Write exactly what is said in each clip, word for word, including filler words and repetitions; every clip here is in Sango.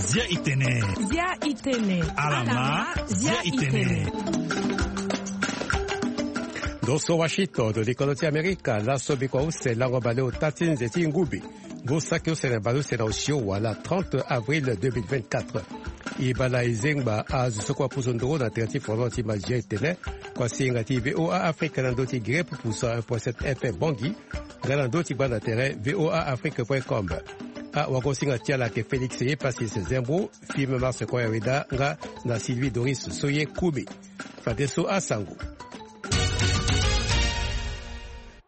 Zia itene. Zia itene. Alama. Zia itene. Ndo so Washington, likolo ti Amerika, laso bikua use lango baleota ti nze ti ngubi. Ngu saki use na baleuse na osio wala trente avril deux mille vingt-quatre. E bala e zengba azo so kue apusu nduru na tere ti fondement ti mazia etene. Kua singa ti VOA Afrique na ndö ti gere pupusa un point sept F M Bangui. Nga na ndö ti gbanda tere voaafrique point com. Awagosinga ti ala ayeke Félix Epasis Zembo, Film Mars Koya Weda nga na Sylvie Doris Soye Kumi. Fadeso asango.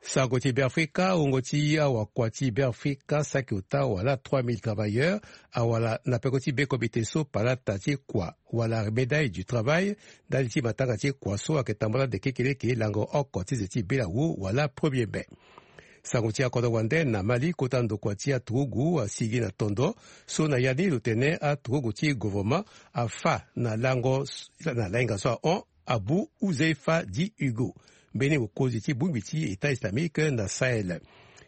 Sango ti Beafrika, wungo ti awakua ti Beafrika saki ota wala trois mille travailleurs awara na peko ti be komite so palata ti kua wala médaille du travail ndali ti matanga ti kua so ayeke tambula nde kekeleke lango oko ti ze ti belawu wala premier mai. Sango ti akodro wande na Mali, kota ndokua ti aturugu asigi na tondo so na ya ni lo tene aturugu ti governement afa na lango na lainga so ahon Abu Huzaifa di Hugo, mbeni mokonzi ti bongbi ti État islamique na Sahel.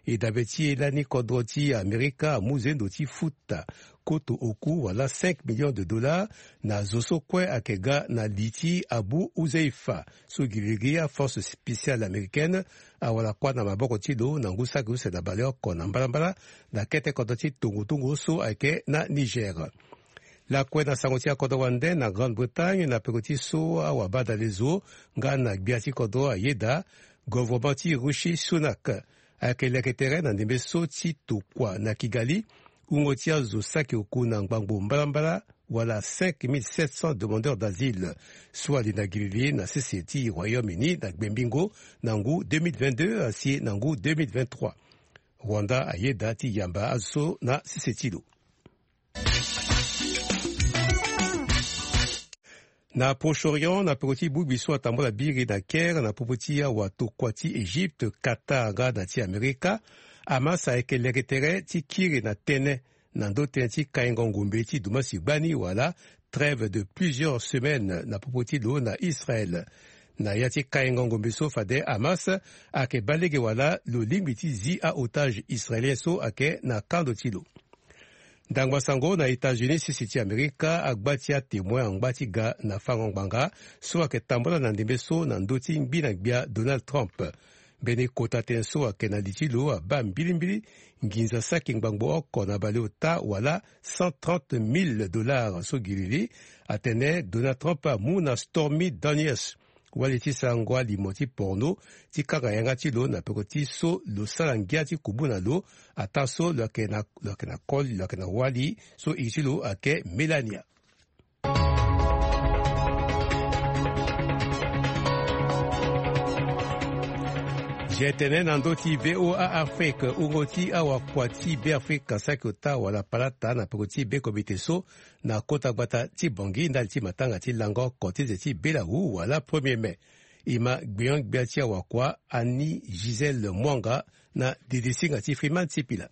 E dabe ti e lani kodro ti Amerika amu zendo ti futa koto oku wala cinq millions de dollars na zo so kue ayeke ga na li ti Abu Huzaifa so girigiri aforce spéciale américaine awara kuâ na maboko ti lo na ngu saki use na baleoko na mbalambala na kete kodro ti tongotongo so ayeke na Niger. Lakue na sango ti akodro wande na Grande-Bretagne na peko ti so awabadale zo nga na gbia ti kodro ayeda, governement ti Rishi Sunak ayeke leke tere na ndembe so ti tokua na Kigali wungo ti azo saki oku na ngbangbo mbalambala wala cinq mille sept cents demandeurs d'asile so ali na gilili na sese ti Royaume-Uni na gbembingo na ngu deux mille vingt-deux asi na ngu deux mille vingt-trois. Rwanda ayeda ti yamba azo so na sese ti lo. Na Proche-Orient, na peko ti bongbi so atambula biri na Caire na popo ti awatokua ti Égypte, Qatar nga na ti Amerika, Hamas ayeke leke tere ti kiri na tënë na ndö tënë ti kaingo ngombe ti dumasi gbani wala trêve de plusieurs semaines na popo ti lo na Israël. Na ya ti kaingo ngombe so fade Hamas ayeke baa lege wala lo lingbi ti zi aotage israélien so ayeke na kando ti lo. Ndangba sango na États-Unis, sese ti Amerika agba ti atémoin angba ti ga na fango ngbanga so ayeke tambula na ndembe so na ndö ti ngbi na gbia Donald Trump. Mbeni kota tënë so ayeke na li ti lo abaa mbilimbili nginza saki ngbangbo oko na baleota wala cent trente mille dollars so giriri atene Donald Trump amu na Stormy Daniels, wali ti sarango alimo ti porno, ti kanga yanga ti lo na peko ti so lo sara ngia ti kubu na lo, ataa so lo yeke na, lo yeke na koli, lo yeke na wali so iri ti lo ayeke Melania. Zia tene na ndö ti VOA Afrique, wungo ti awakua ti Beafrika saki ota wala palata na peko ti be komite so na kota gbata ti Bangui ndali ti matanga ti lango oko ti ze ti belawu wala premier mai. E ma gbion-gbia ti awakua Annie Gisèle Mwanga na didisinga ti Freeman Sipila.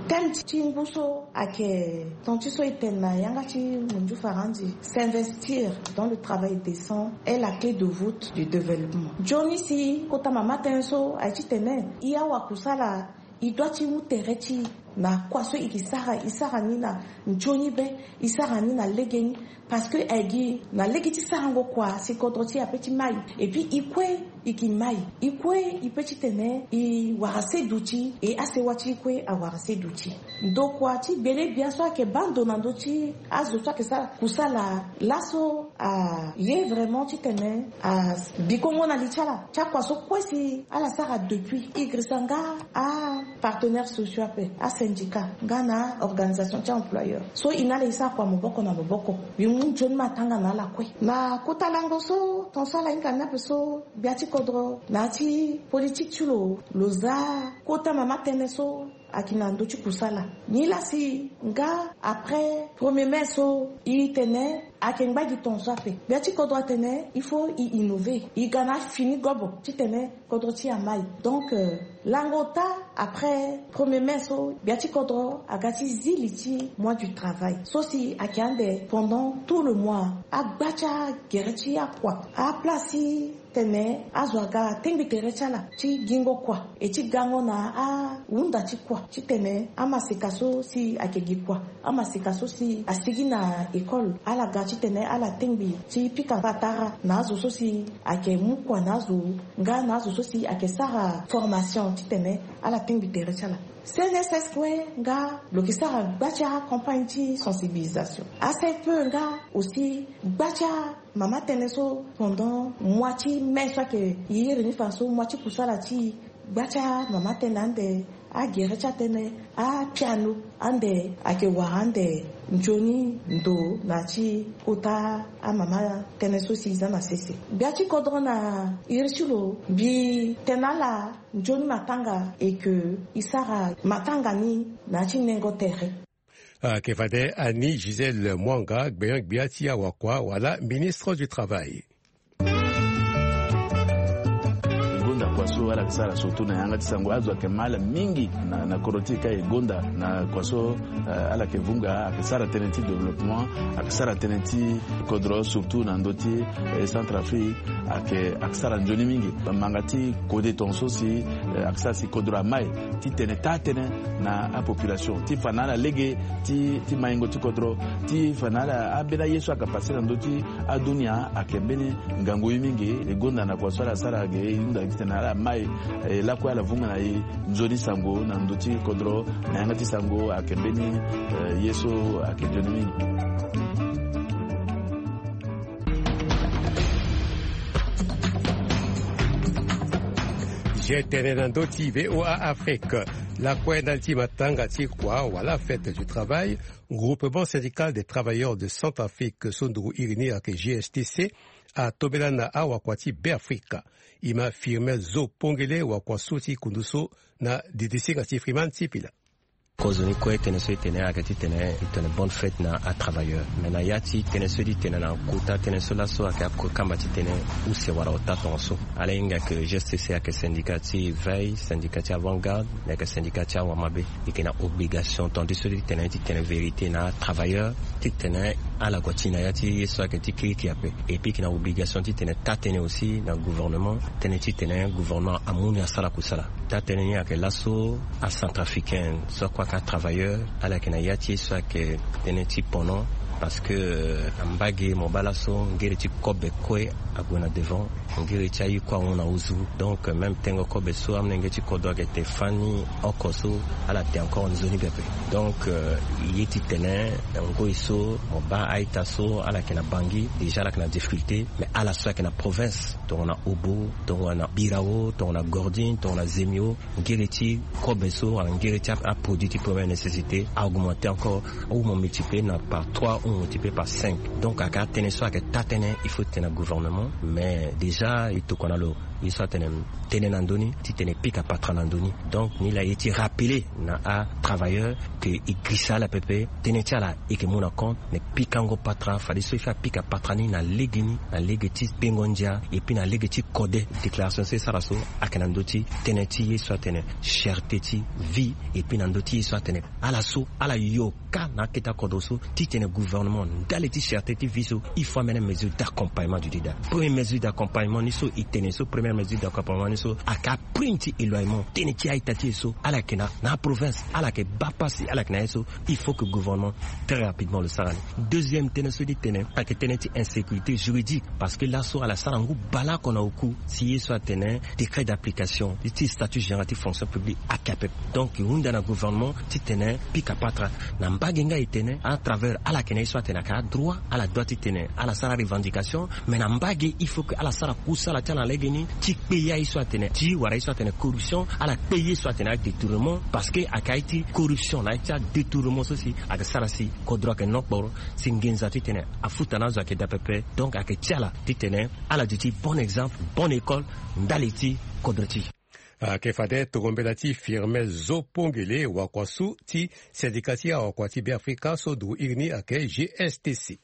Thème ti ngu so ayeke ton ti so e tene na yanga ti munzu faranzi: s'investir dans le travail décent est la clé de voûte du développement. Nzoni si kota mama tënë so aye titene e awakusala e doit ti mu tere ti e na kua so e ke sara, e sara ni na nzoni be, e sara ni na legeni. Parce que e gi na lege ti sarango kua si kodro ti e ape ti mai. Et puis e kue e ke mai, e kue e pe titene e wara se duti, e asewa ti e kue awara se duti. Ndokua ti gbele bia so ayeke baa ndo na ndö ti azo so ayeke sara kusala laso aye vraiment titene a bikongo na li ti ala ti akua so kue si ala sara depuis e girisa nga apartenaires sociaux ape, asyndicat nga na organisation ti employeur. So e na ala e sara kua maboko na maboko. Mbi mu nzoni matanga na ala kue na kota lango so ton so ala hinga ni ape so gbia ti kodro na ya ti politique ti lo, lo za kota mama tënë so ayeke na ndö ti kusala. Nilaa si nga après premier mai so e tene ayeke ngba gi ton so ape. Gbia ti kodro atene il faut e innover, e ga na afini gobo titene kodro ti e amai. Donc euh, lango ota après premier mai so gbia ti kodro aga ti zi li ti mois du travail so si ayeke ande pendant tout le mois. Agba ti agere ti akua, aplace ti Tene azo aga tengbi tere ti ala ti gingo kua e ti gango na ahunda ti kua titene amaseka so si ayeke gi kua, amaseka so si asigi na école, ala ga titene ala tengbi ti pika patara na azo so si ayeke mu kua na azo, nga na azo so si ayeke sara formation titene ala tengbi tere ti ala. C N S S kue nga lo yeke sara gba ti acampagne ti sensibilisation. A C F P E nga aussi gba ti amama tënë so pendant mois ti mai so ayeke iri ni fa so mois ti kusala ti gba ti amama tënë ande agere ti atënë apiano ande ayeke wara ande nzoni ndo na ti kota amama tënë so si e za na sese. Gbia ti kodro na iri ti lo mbi tene ala nzoni matanga e ke e sara matanga ni na ya ti nengo tere. Ayeke fade Annie Gisèle Mwanga, gbenyo-gbia ti awakua wala ministre du travail. E gonda kua so ala yeke sara surtout na yanga ti sango, azo ayeke ma ala mingi na, na kodro ti e ka e gonda na kua so, eh, ala yeke vunga, ayeke sara tënë ti développement, ayeke sara tënë ti kodro surtout na ndö ti, eh, Centrafrique, ayeke, ayeke sara nzoni mingi. Manga ti kode tongaso si, eh, ayeke sara si kodro amai titene taa tënë na apopulation ti fa na ala lege ti, ti maingo ti kodro, ti fa na ala ambeni aye so ayeke pase na ndö ti adunia ayeke mbeni ngangu ye mingi. E gonda na kua so ala sara ge e hunda titene ala mai, eh, lakue ala vunga na e nzoni sango na ndö ti kodro na yanga ti sango ayeke mbeni, eh, ye so ayeke nzoni mingi. Ge tene na ndö ti V O A Afrique. Lakue ndali ti matanga ti kua wala fête du travail, Groupement Syndical des Travailleurs de Centrafrique so nduru iri ni ayeke G S T C atombela na awakua ti Beafrika. E ma Firmin Zo Pongele, wakua so ti kundu so, na didisinga ti Freeman Sipila. Kozo ni kue tënë so e tene ayeke titene e tene bonne fête na atravailleur. Me na ya ti tënë so e ti tene na kota tënë so laso ayeke akamba titene use wala ota tongaso. Ala hinga ke G S T C ayeke syndicat ti veille, syndicat ti avant-garde, me ayeke syndicat ti awamabe. E yeke na obligation tongaso ti tene, ti tene vérité na atravailleur, titene ala gue ti na ya ti ye so ayeke ti kirikiri ape. Et puis e yeke na obligation titene taa tënë aussi na gouvernement, tënë titene gouvernement amu ni asara kusala. Taa tënë ni ayeke laso acentrafricain so akue ayeke atravailleur, ala yeke na ya ti ye so ayeke tënë ti pendant, parce que, euh, ambage mo baa laso ngere ti kobe kue ague na devant, ngere ti aye kue ahon na ozu. Donc, euh, même tengo kobe so amolenge ti kodro ayeke te fani oko so, ala te encore nzoni pepe. Donc, euh, ye titene ngoi so mo baa a-ita so ala yeke na Bangui, déjà ala yeke na difficulté, mais ala so ayeke na province, tongana Obo, tongana Birao, tongana Gordine, tongana Zemio, ngere ti kobe so wala ngere ti a, aproduit ti première nécessité a augmenté encore, ou mo multiplier na par trois ou mo multiplier par cinq. Donc ayeke atënë so ayeke taa tënë, il faut titene gouvernement, mais déjà e tokua na lo ye so atene tënë na ndö ni titene pika patra na ndö ni. Donc ni laa ye ti rappeler na atravailleur ke e girisa ala pepe, tënë ti ala e yeke mu na compte, me pikango patra, fadeso e fa apika patra ni na legeni, na lege ti kpengo ndia, et puis na lege ti kode. Déclaration so e sara so ayeke na ndö ti tënë ti ye so atene cherté ti vie, et puis na ndö ti ye so atene ala so ala yo ka na akete akodro so, titene gouvernement ndali ti cherté ti vie so, il faut amene mesure d'accompagnement du leader. Première mesure d'accompagnement ni so e tene so, première mesure d'accompagnement ni so ayeke prime ti éloignement, tënë ti a-ita ti e so ala yeke na, na aprovince, ala yeke baa pasi, ala yeke na ye so, il faut que gouvernement très rapidement lo sara ni. Deuxième tënë so e ti tene ayeke tënë ti insécurité juridique, parce que laso ala sara ngu bale oko na oku si ye so atene décret d'application ti statut général ti fonction publique ayeke ape. Donc e hunda na gouvernement titene pika patra. Na mbage nga e tene à travers ala yeke na ye so atene ayeke adroit, ala droit titene ala sara revendication, mais na mbage il faut que ala sara kusala ti ala na legeni ti kpe ya ye so atene ti wara ye so atene corruption, ala kpe ye so atene adétournement, parce que ayeke aye ti corruption na aye ti adétournement so si ayeke sara si kodro ayeke nokporo, si nginza titene afuta na azo ayeke daa pepe. Donc ayeke ti ala titene ala duti bon exemple, bonne école ndali ti kodro ti. Ayeke fade tongo mbela ti Firmin Zo Pongele, wakua so ti syndicat ti awakua ti Beafrika so nduru iri ni ayeke G S T C.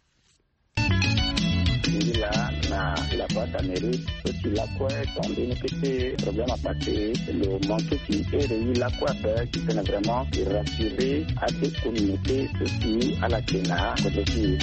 Ngi laa na la boîte à mérite so si lakue tonga mbeni kete problème apase lo manqué si ere ye lakue ape titene vraiment e rassurer ade communauté so si ala yeke na kodro ti e.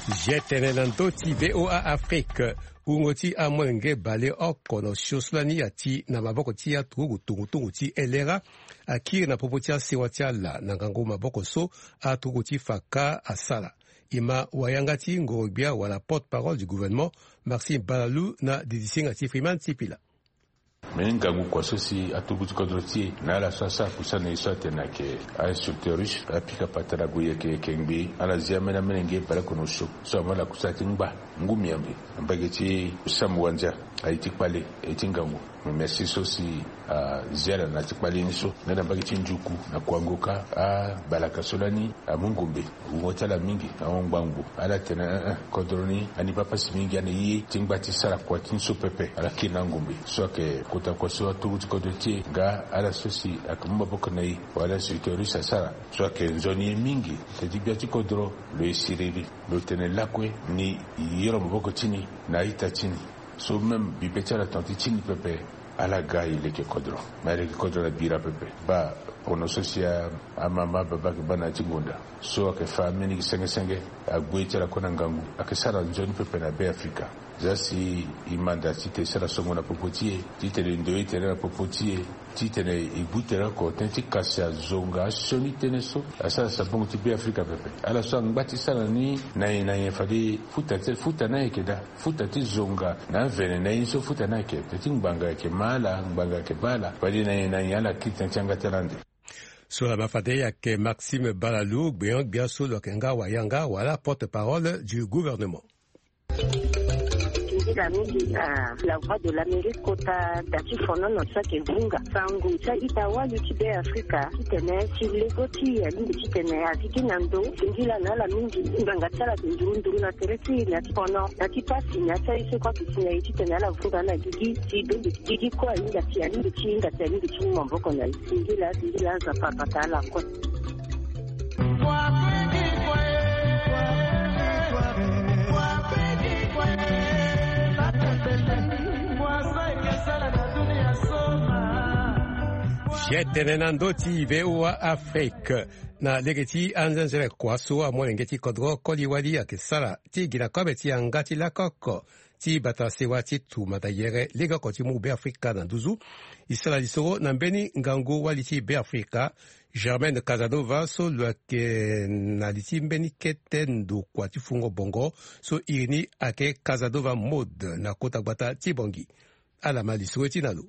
Zia tene na ndö ti VOA Afrique. Wungo ti amolenge baleoko na osio so lani ati na maboko ti aturugu tungutungu ti elera akiri na popo ti asewa ti ala na ngangu maboko so aturugu ti faka asara. E ma wayanga ti ngoro-gbia wala porte-parole du gouvernement, Maxime Balalou, na didisinga ti Freeman Sipila. Mbeni ngangu kua so si aturugu ti kodro ti e na ala so asara kusana e so atene ayeke a-instructeur russe, apika patara gue yeke yeke ngbii, ala zia ambeni amolenge baleoko na osio so amu ala kusana ti ngba ngu miambe na mbage ti Sam Wandia. Aye ti kpale, aye ti ngangu. Me merci so si azia ala na ti kpale ni so nga na mbage ti Ndyuku na Kuangoka, abalaka so lani amu ngombe. Wungo ti ala mingi ahon ngbangbo. Ala tene, eh, eh, kodro ni ani baa pasi mingi, ani ye ti ngba ti sara kua ti ni so pepe. Ala kiri na angombe so ayeke kota kua so aturugu ti kodro ti e nga ala so si ayeke mu maboko na e wala instructeur russe asara, so ayeke nzoni ye mingi. Teti gbia ti kodro lo ye siriri, lo tene lakue ni yoro maboko ti ni na a-ita ti ni. So même bibe ti ala tongana ti ti ni pepe, ala ga e leke kodro. Me aleke kodro na bira pepe. Baa pono so si a, amama ababa ayeke baa na ya ti ngonda so ayeke fa ambeni gi senge senge, agbu ye ti ala kue na ngangu. Ayeke sara nzoni pepe na Be Afrika. Za si e manda titene e sara songo na popo ti e, titene e ndoye tere na popo ti e, titene e gbu tere oko tënë ti kasi azo nga asioni tënë so asara sabongo ti Be Afrika pepe. Ala so angba ti sara ni na nyen na nyen fade futa ti, futa ni ayeke daa. Futa ti zonga na avene na ye ni so futa ni ayeke. Teti ngbanga ayeke ma ala, ngbanga ayeke baa ala. Fade na nyen na nyen ala kiri tënë ti yanga ti ala ande. So laa ma fade ayeke Maxime Balalou, gbenyo-gbia so lo yeke nga wayanga wala porte-parole du gouvernement. Nzila mingi na La Voix de l'Amérique kota da ti fonono so ayeke vunga sango ti a-ita wali ti Be Afrika titene ti lego ti e alingbi titene a zi gi na ndo. Singila na ala mingi, ngbanga ti ala ayeke nduru nduru na tere ti e na ti fono, na ti pasi na ya ti aye so kue ayeke si na e titene ala vunga na gigi ti dongi gigi kue ahinga ti, alingbi ti hinga ti, alingbi ti mu maboko na e. Singila, singila, Nzapa abata ala kue. Zia tene na ndö ti VOA Afrique. Na lege ti anzenzele kua so amolenge ti kodro koli wali ayeke sara ti gi na kobe ti yanga ti lako oko ti bata sewa ti tumata yere legeoko ti mu Be Afrika na nduzu. E sara lisoro na mbeni ngangu wali ti Be Afrika, Germaine Casanova, so lo yeke na li ti mbeni kete ndokua ti fungo bongo so iri ni ayeke Casanova Mode na kota gbata ti Bangui. Ala ma lisoro ti na lo.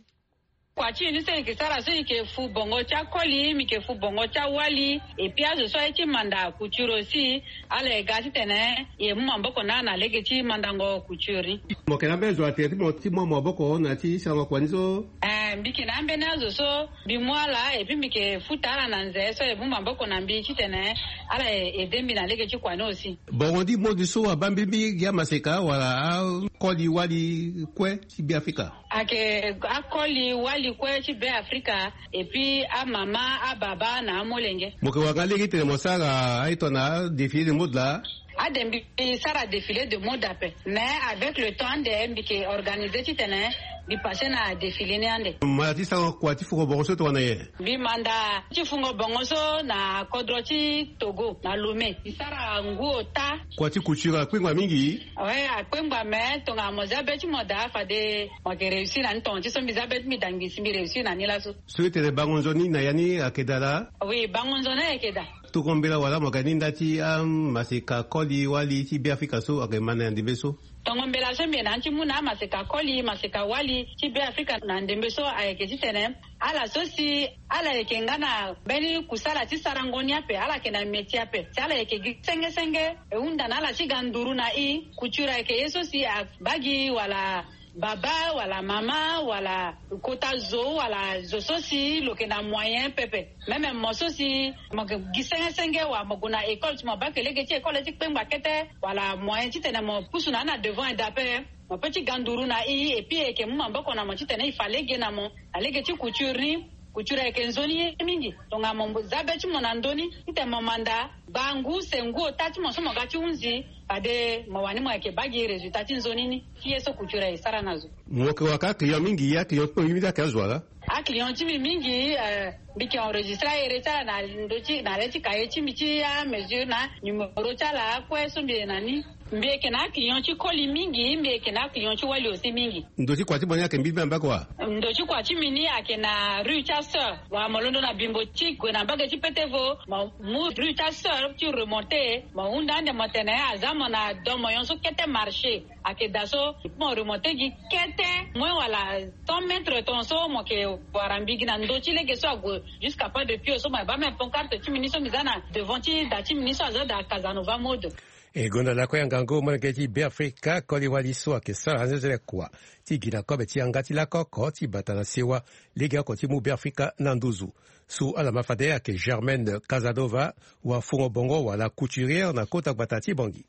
Kua ti e ni so e yeke sara so e yeke fu bongo ti akoli, mbi yeke fu bongo ti awali, et puis azo so aye ti manda couture aussi, ala ye ga titene e mu maboko na ala na lege ti mandango couture ni. Mo yeke na ambeni zo na tere ti mo ti mu maboko na ya ti sarango kua ni so? Eh, mbi yeke na ambeni azo so mbi mu ala, et puis mbi yeke futa ala na nze so e mu maboko na mbi titene ala e, e aide mbi na lege ti kua ni aussi. Bongo ni mode so abaa mbirimbiri gi amaseka wala akoli wali kue ti Be Afrika? Ayeke akoli wali kue ti Be Afrika, et puis amama, ababa na amolenge. Mo yeke wara nga lege titene mo sara aye tongana adéfilé de mode laa? Ade mbi sara défilé de mode ape. Mais avec le temps ande mbi yeke organisé titene mbi passé na défilé ni ande. Mo manda ti sara kua ti fungo bongo so tongana nyen? Mbi manda ti fungo bongo so na kodro ti Togo, na Lomé. Mbi sara ngu ota. Kua ti couture akpengba mingi? Oui, akpengba, mais tongana mo zia be ti mo daa fade mo yeke réussir na ni. Tongana ti so mbi zia be ti mbi daa ngbii si mbi réussir na ni laso. So e tene bango nzoni na ya ni ayeke daa laa? Oui, bango nzoni ayeke daa. Tongo mbela wala mo yeke na ni nda ti amaseka koli wali ti Be Afrika so ayeke ma na ya ndembe so? Tongo mbela so mbi yeke na ni ti mu na amaseka koli, maseka wali ti Be Afrika na ndembe so ayeke titene ala so si ala yeke nga na mbeni kusala ti sarango ni ape, ala yeke na métier ape, si ala yeke gi senge senge, e hunda na ala ti ga nduru na e. Couture ayeke ye so si abaa gi wala baba wala mama wala kota zo wala zo so si lo yeke na moyen pepe. Même mo so si mo yeke gi senge senge wala mo gue na école ti mo baa ke lege ti école ti kpengba kete wala moyen titene mo pusu na ni na devant ede ape, mo peut ti ga nduru na e, et puis e yeke mu maboko na mo titene e fa lege na mo na lege ti couture ni. Couture ayeke nzoni ye mingi. Tongana mo zia be ti mo na ndö ni titene mo manda baa ngu se ngu ota ti mo so mo ga ti hunzi, fade mo wani mo yeke baa gi résultat ti nzoni ni ti ye so couture aye sara na zo. Mo yeke wara kâ aclient mingi, aclient ti mo mingi ayeke azo wala? Aclient ti mbi mingi, eh, mbi yeke enregistré ahere ti ala na ndö ti, na le ti cahier ti mbi ti amesure na numéro ti ala akue so mbi yeke na ni. Mbi yeke na aclient ti koli mingi, mbi yeke na aclient ti wali aussi mingi. Ndo ti kua ti mo ni ayeke mbi mbi na mbage wa? Ndo ti kua ti mbi ni ayeke na rue ti aseur. Wa mo londo na bimbo ti gue na mbage ti petevo, mo mu rue ti aseur ti remonter, mo hunda ande mo tene aza mo na do mo nyon so kete marché. Ayeke daa so mo remonter gi kete moins wala cent mètres ton so mo yeke wara mbi gi na ndo ti lege so ague jusqu'à pas de pied so mo yeke baa même pancarte ti mbi ni so mbi za na devant ti da ti mbi ni so aza daa Casanova mode. E gonda lakue angangu molenge ti Beafrika koli wali so ayeke sara anzenzele kua ti gi na kobe ti yanga ti lako oko ti bata na sewa legeoko ti mu Beafrika na nduzu. So ala ma fade ayeke Germaine Casanova, wafungo bongo wala couturière na kota gbata ti Bangui.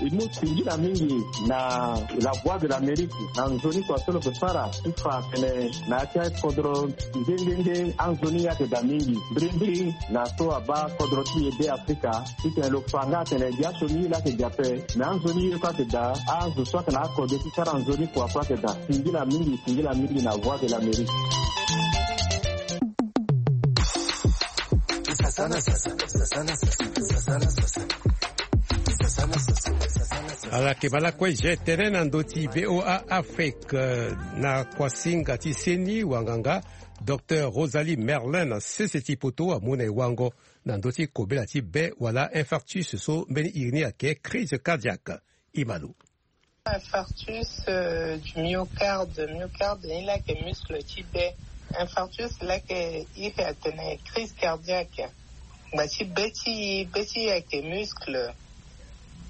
E mu singila mingi na La Voix de l'Amérique na nzoni kua so lo yeke sara ti fa atene na ya ti akodro nde nde nde anzoni ayeke daa mingi mbirimbiri na so abaa kodro ti e Beafrika. Titene lo fa nga atene gi aso ni ye laa ayeke daa ape, me anzoni ye kue ayeke daa. Azo so ayeke na akode ti sara nzoni kua kue ayeke daa. Singila mingi, singila mingi na Voix de l'Amérique. Ala yeke ma lakue je tene na ndö ti V O A Afrique, eh, na kuasinga ti seni wanganga, Docteur Rosalie Merlin na sese ti poto amu na e wango na ndö ti kobela ti be wala infarctus so mbeni iri ni ayeke crise cardiaque. E ma lo. Infarctus, euh, du myocarde. Myocarde ni laa ayeke muscle ti be. Infarctus laa ayeke iri atene crise cardiaque. Ngba ti be ti e, be ti e ayeke muscle.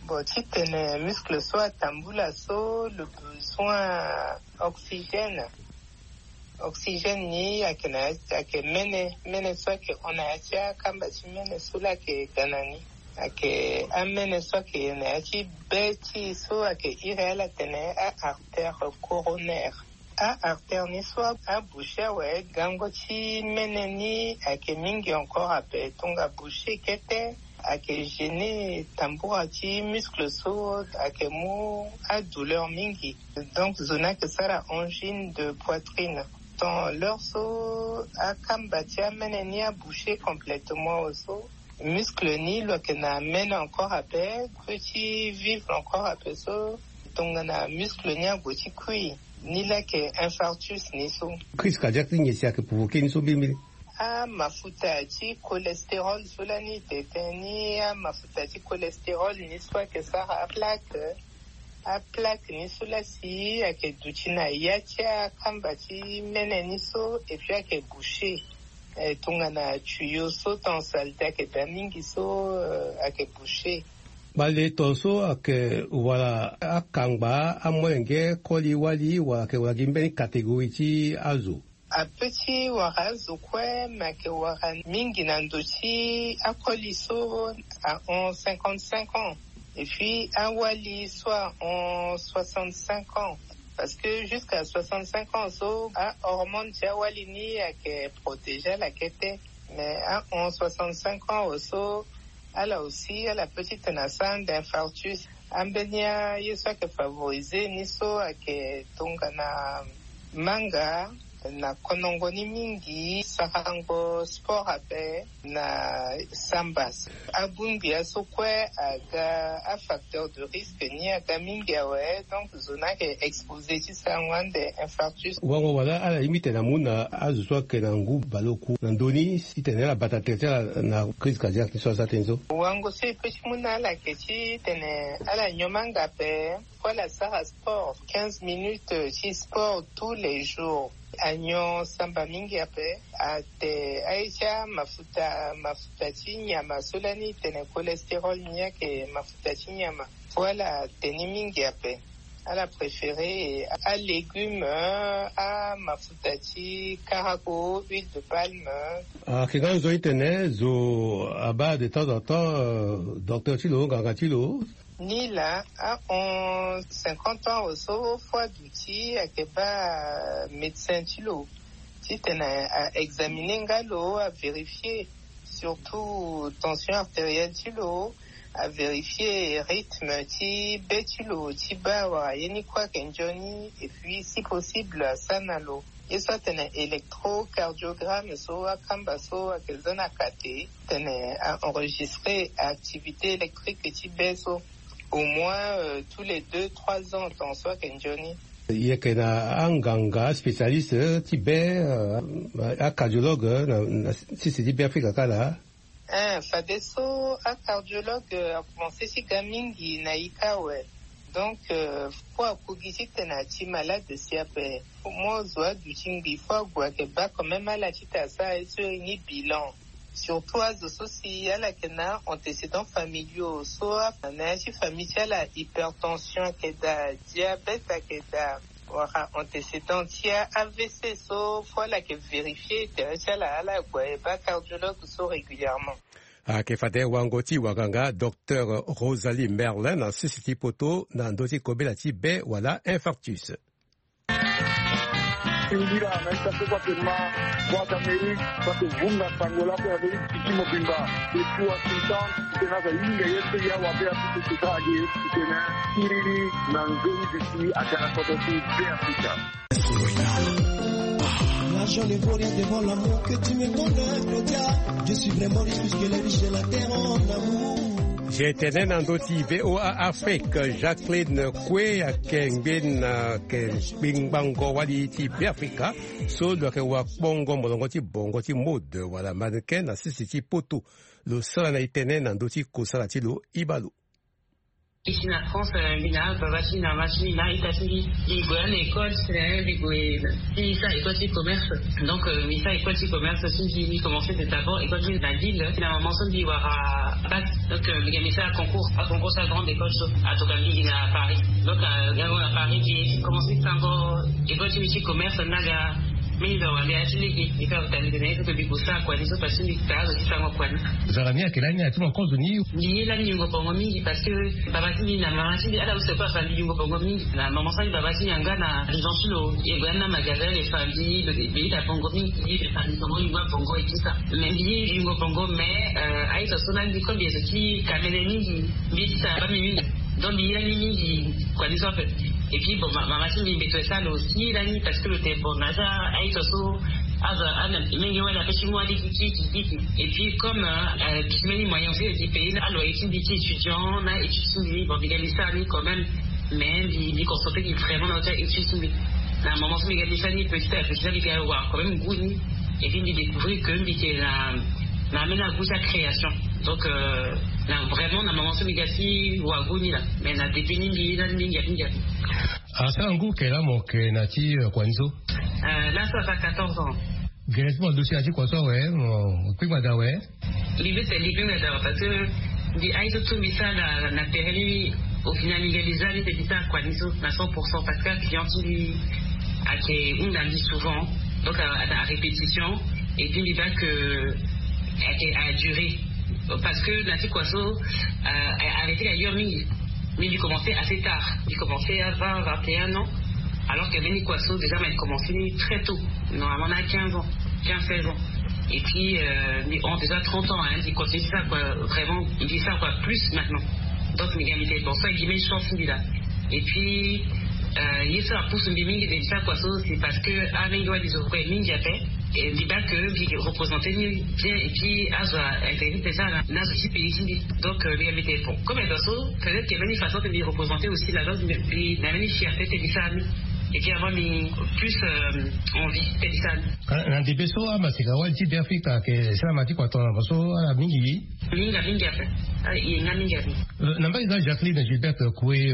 Bon, titene muscle so atambula so, le besoin oxygène. Oxygène ni ayeke na ya, ayeke mene, mene so ayeke hon na ya ti akamba ti mene so laa ayeke ga na ni. Ayeke amene so ayeke na ya ti be ti e so ayeke iri ala tene a-artère coronaire. A-artère ni so aboucher awe, gango ti mene ni ayeke mingi encore ape, tongana boucher kete ayeke gêner tambura ti muscle so ayeke mu adouleur mingi. Donc zo ni ayeke sara angine de poitrine. Tant l'heure so akamba ti amene ni aboucher complètement awe so, muscle ni lo yeke na mene encore ape, kue ti vivre encore ape so, tongana muscle ni ague ti kui, ni laa ayeke infarctus ni so. Crise cardiaque ti nyen si ayeke provoquer ni so mbirimbiri? Amafuta ti cholestérol so lani e tene ni, amafuta ti cholestérol ni so ayeke sara aplaque. Aplaque ni so laa si ayeke duti na ya ti akamba ti mene ni so, et puis ayeke boucher. Eh, tongana tuyau so, temps saleté ayeke daa mingi so, eh, ayeke boucher. Baleton so ayeke wara akangba amolenge koli wali, wala ayeke wara gi mbeni catégorie ti azo? Ape ti wara azo kue, me ayeke wara mingi na ndo ti akoli so ahon cinquante-cinq ans. Et puis awali so ahon soixante-cinq ans. Parce que jusqu'à soixante-cinq ans so, ahormone ti awali ni ayeke protéger ala kete. Mais ahon soixante-cinq ans awe so, ala aussi, ala peut ti tene asara ande infarctus. Ambeni aye so ayeke favoriser ni so ayeke tongana manga, na konongo ni mingi, sarango sport ape, na samba. Abongbi aso kue aga afacteur de risque ni aga mingi awe, donc zo ni ayeke exposer ti sarango ande infarctus. Wango wala ala ye mbi tene amu na azo so ayeke na ngu baleoku na ndö ni, titene ala bata tere ti ala na crise cardiaque ni so aza tënë so? Wango so e peut ti mu na ala ayeke titene ala nyon manga ape, kue ala sara sport, quinze minutes ti sport tous les jours. Anyon samba mingi ape, ate aye ti amafuta, mafuta ti nyama so lani e tene cholestérol ni ayeke mafuta ti nyama. Faut ala te ni mingi ape. Ala préférer alégume, amafuta ti karago, huile de palme. Ayeke nga nzoni tene zo abaa de temps en temps, euh, docteur ti lo, nganga ti lo. Ni laa ahon cinquante ans awe so, faut aduti ayeke baa médecin ti lo titene a examiner nga lo, a vérifier surtout tension artérielle ti lo, a vérifier rythme ti be ti lo ti baa wala ye ni kue ayeke nzoni, et puis si possible asara na lo. Ye so atene électrocardiogramme so akamba so ayeke za na kate tene a enregistrer activité électrique ti be so au moins tous les deux trois ans, tant so ayeke nzoni. Yeke na anganga spécialiste ti be, acardiologue na sisi ti be afrika kala. Fade so acardiologue akomanse ti ga mingi na ika awe. Donc, pour akogi ti tena ti malade si ape, mo zo adu ti ngbi fo ague ake ba quand même ala ti ta sa esuri ni bilan. Surtout azo so si ala yeke na antécédents familiaux so ana ya ti famille ti ala hypertension ake daa, diabète ake daa, wala antécédent ti avc so fo ala yeke vérifier tere ti ala ala ague ba cardiologue so régulièrement. Ake fade wango ti wanganga docteur Rosalie Merlin na sisi ti poto na ndo ti kobela ti be wala infarctus. Singila na ita so kua pema, boite amerique bake vunga sango lape amerique titi mobimba. Eti washington tena za yinga ye pe ya wabe api soseta age tena kiriri na nzoni bisi atara koto ti be afrika. L'argent ne vaut rien devant l'amour que tu me donnes, Claudia. Je suis vraiment riche puisque les riches de la terre en amour. Tene na ndo ti voa afrique, jacqueline kue ayeke ngbeni na yeke kpingbango wali ti beafrika so lo yeke wakpongo molongo ti bongo ti mode wala mannequin na sisi ti poto. Lo sara na itene na ndo ti kosala ti lo iba lo. Ici na France, mbi na baba ti mbi na mama ti mbi na ita ti mbi. Mbi gue na école, mbi gue ti sa école ti commerce. Donc mbi sa école ti commerce ti mbi, mbi commence de d'abord école ti mbi na ville ti na maman so mbi wara bac. Donc mbi ga mbi sa concours aconcours ti agrande école so atoka mbi gi na paris. Donc yango na paris mbi commence ti sango école ti mbi ti commerce naga. Mbi na wande ya ti lege mbi ka tali tene il faut que mbi gue sa kua ni so parce que mbi ta azo ti sango kua ni. Zara ni ayeke lani ati mo kozo ni. Mbi ye lani yungo bongo mingi parce que baba ti mbi na mama ti mbi ala use kue afa mbi yungo bongo mingi na mama so ni baba ti mbi anga na argent ti lo. E gue ani na magasin le fa mbi ye lo de mbi ye da bongo mingi. Mbi ye le fa mbi bongo yungo abongo e ti sa mais mbi ye yungo bongo mais aye so so lani comme mbi ye so ti kamene mingi. Mbi ye ti sa ba mbi mingi. Donc mbi ye lani mingi kua ni so ape. Et puis bon mama ti mbi mbeto e sa lo aussi lani parce que lo tene bon na aza aye so so aza ana menge wani ape ti mu aliki kiki kiki. Et puis comme mbi ti mbeni moyen aussi e di payer aloyer ti mbi ti étudiant na étude ti mbi bon mbi ga mbi sara ni quand même. Mais mbi mbi concentre mbi vraiment na ota étude ti mbi. Na moment so mbi ga mbi sara ni petit à petit la mbi ga wara quand même goût ni. Et puis mbi découvrir que mbi yeke na na ambeni agoût ti acréation. Donc na vraiment na moment so mbi ga si wara goût ni la. Mais na début ni mbi ye lani mingi ape mingi ape. Asara ngu ke la mo ke na ti kua ni so. Là ça fait quatorze ans. Gere ti mo duti na ti kua so awe mo kpingba daa awe. Mbi be tene mbi kpingba daa awe parce que mbi aye so tout mbi sara na tere ni. Au final mbi ga mbi za ni te mbi sara kua ni so na cent pour cent parce que aclient ti mbi ayeke hunda mbi souvent. Donc na répétition et puis mbi baa que ayeke aduré. Parce que na ti kua so arrêté ailleurs mingi. Mais mbi commencé assez tard. Mbi commencé à vingt vingt et un ans. Alors que mbeni kua so déjà m'a commencé très tôt. Normalement na quinze ans, quinze seize ans. Et puis mbi hon déjà trente ans hein. Mbi continue ça quoi. Vraiment mbi ça quoi plus maintenant. Donc mbi ga mbi te bon so agi mbeni chance mbi la. Et puis ye so apousse mbi mingi de mbi ça quoi so c'est parce que amenge wali zo kue mingi ape. Mbi baa que mbi représenter ni bien et puis azo intéressé ti sara na azo ti pays ti mbi. Donc mbi ga mbi te bon comme azo so peut-être que mbeni façon ti mbi représenter aussi la donc mbi na mbeni fierté ti mbi sara ni. Et puis avant mbi plus envie ti mbi sara ni. Na ndebe so amaseka wali ti be afrika ayeke sara ma ti kua tongana mo so ala mingi. Mingi mingi ape. Ye nga mingi ape. Na mbage nga jacqueline gilbert kue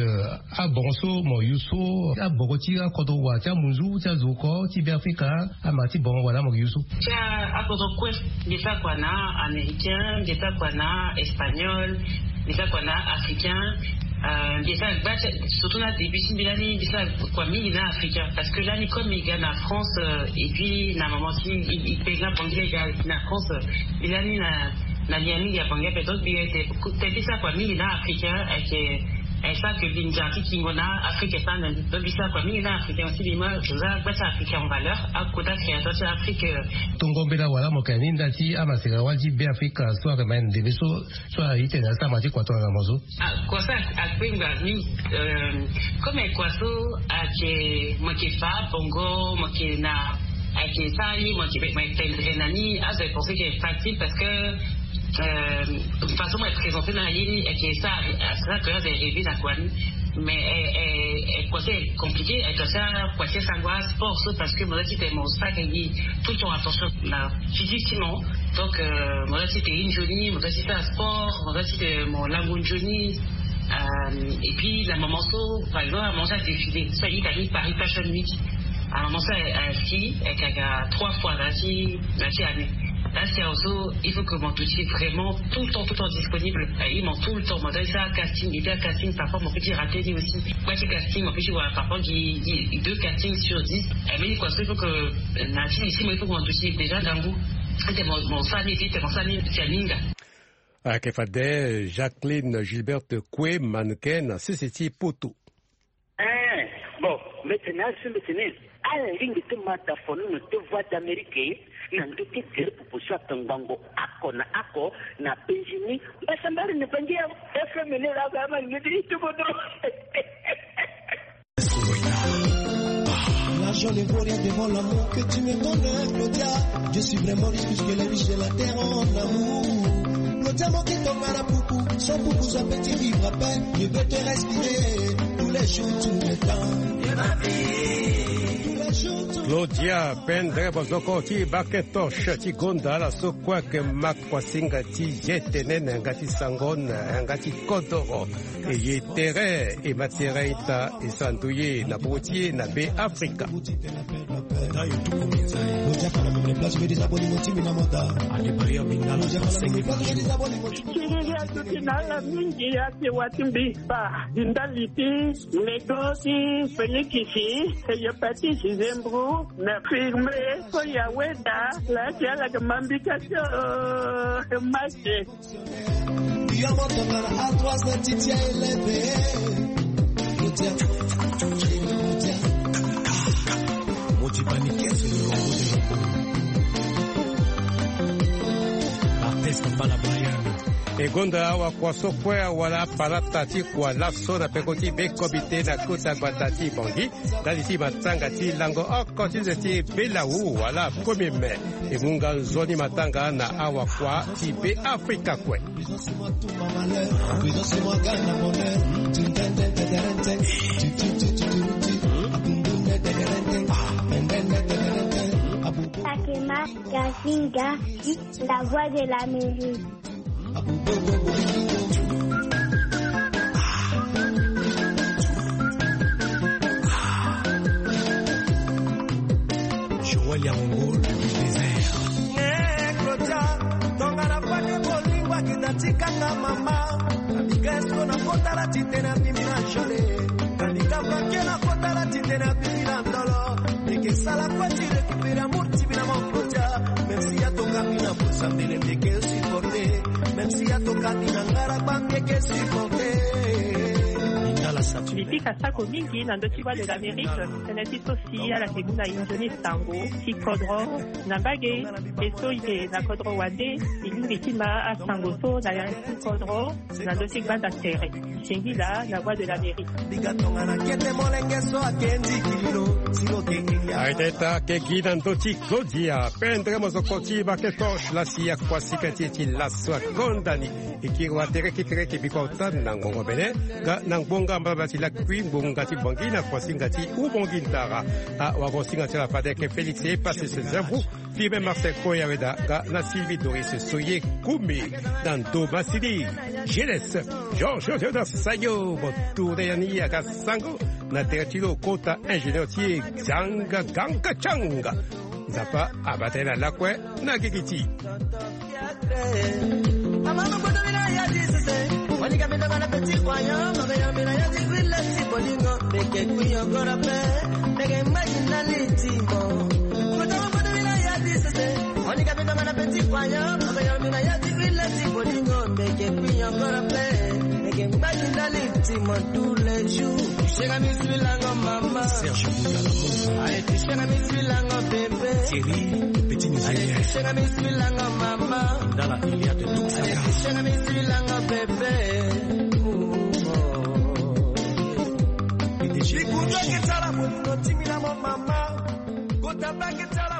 abongo so mo yu so abongo ti akodro wa ti amunzu ti azo oko ti be afrika ama ti bongo wala mo ke yu so. Ti akodro kue. Mbi sa kua na américain, mbi sa kua na espagnol, mbi sa kua na africain. Mbi sa gba ti surtout na début ti mbi lani mbi sa kua mingi na africain parce que lani comme mbi ga na france et puis na moment ti mbi kpe nga bongi lege na france. Mbi lani na na lia mingi ya bongi ape donc mbi ete te mbi sa kua mingi na africain ayeke. Est ça que mbi nzara ti kingo na afrique esa na mbi donc mbi sa kua mingi na africain aussi mbi ma za gba ti africain en valeur. Akota créateur ti afrique. Tongo mbela wala mo yeke na ni nda ti amaseka wali ti be afrika so ayeke ma ni na ndebe so so aye ti tene asara ma ti kua tongana mo so. Kua so akpengba mingi. Comme kua so ayeke mo yeke fa bongo mo yeke na Ayeke sara ni mo yeke tendre na ni, azo ayeke pense ke facile parce que euh, façon mo yeke présente na ye ni ayeke sara, asara ke azo ayeke rêver na kua ni. Mais eh, eh, eh, kua so ayeke compliqué, ayeke sara kua ti asango asport so parce que mo za ti tene mo sara ke gi tout ton attention na physique ti mo. Donc euh, mo za ti tene ye nzoni, mo za ti sara sport, mo za ti tene mo lango nzoni. Euh, et puis na moment so par exemple na moment so adéfilé so ayeke ni Paris Fashion Week. Na moment so asi ayeke ayeke trois fois na ti na ti année. Lasi azo il faut que mo duti vraiment tout le temps tout le temps disponible. Eh, mo tout le temps mo za ti sara casting, et puis casting parfois mo peut ti rater ni aussi. Kua ti casting mo peut ti wara parfois gi gi deux casting sur dix. Eh, mais kua so il faut que na ti ici mo il faut que mo duti déjà ngangu. Ete mo mo sara ni, ete mo sara ni si aninga. Ayeke fade Jacqueline Gilberte Kue, mannequin na sese ti Poto. Eh, bon, mbi tene azo mbi tene ala lingbi ti ma tafono na te Voix d'Amérique na ndö ti tere proposition ake ngbongo oko na oko na Benjini. Mbasambari na Bangi ya F M N la ga ma ni ti tubo dro. L'argent ne vaut rien devant l'amour que tu me donnes, Claudia. Je suis vraiment riche puisque les riches de la terre ont l'amour. Claudia, mon qui tombe à la poupou, sans poupou, ça peut vivre à peine. Je veux te respirer tous les jours, tout le temps. De ma vie. Tous les jours, tout le temps. Claudia Pendre, bozoko ti Bakentosh ti gonda ala so kue ayeke ma kuasinga ti ye tene na yanga ti sango na yanga ti kodoro. E ye tere e ma tere ita e sara ndoye na popo ti e na Be Afrika. Ti riri aduti na ala mingi ake wa ti mbi kpa. Di ndali ti Lagos, Felix, Eyopati, Zembro, na Firme, Koya Weda, la ti ala ke mambika ti o, Mase. Yo mo tongana A trois na ti ti a eleve. Mo ti bani kese lo longo de longo. Artiste mbala Brian. E gonda awakua so kue awara palata ti kua laso na peko ti be komite na kota gbata ti Bangui. Ndali ti matanga ti lango oko ti nze ti Belau wala premier mai. E mu nga nzoni matanga na awakua ti Be Afrika kue. Sakema Gazinga, la voix de l'Amérique. Joël Yango, le désert. Eh, Claudia, tongana fade bolingo akita ti kanga mama. Abika esko na kota la ti tene abimi na jole. Kani kamba ke na kota la ti tene abimi na ndolo. Mbi ke sala kue ti récupérer amour ti mbi na mon Claudia. Même si atoka mbi na posa mbele mbi ke supporter. Même si atoka mbi na ngara kpa mbi ke supporter. Mbi pika sako mingi na ndö ti Voix de l'Amérique. Tënë ti so si ala ke mu na e nzoni sango ti kodro na mbage. E so e yeke na kodro wande, e lingbi ti ma asango so na ya ti kodro. Na ndö ti gbanda tere. Singila na Voix de l'Amérique. Ayeke ita ke gi na ndö ti Claudia Pendre, mozoko ti Bakentosh, la si akuasika ti e ti laso akonda ni. E kiri wa tere kekereke biko ota na ngongo bene. Nga na ngbonga mbaba ti lakui ngbonga ti Bangui na kuasinga ti Ubangui Ndara. Awagosinga ti ala fade ayeke Félix Epasse Zembro. Firme Marcel Koya Weda nga na Sylvie Doris Soye Koumi. Na ndo masini G L S Georges Theodore Sayo, mo tourne ya ni aga sango na tere ti lo kota ingénieur ti e Zanga Ganga Changa. Nzapa abata ye na lakue na gigi ti. Amama bodo mina ya di sese. Wani ka mi dogo na petit croyant, ma ya mina ya di grille si bolingo. Meke kui encore pe. Meke imagine na litimo. Kota bodo mina ya di sese. Wani ka mi dogo na petit croyant, ma ya mina ya di grille si bolingo. Meke kui encore pe. Meke imagine na litimo tous les jours. Shega mi sui lango mama. Serge Bougalamo. Aye, shega mi sui lango bébé. Thierry, petit musicien. Aye, shega mi sui lango mama. Dans la filière de Tuxaga. Aye, shega mi sui lango bébé. Ouh, oh. P D G. Bikundo ke tala bolingo ti mi na mo mama. Kota ba ke tala.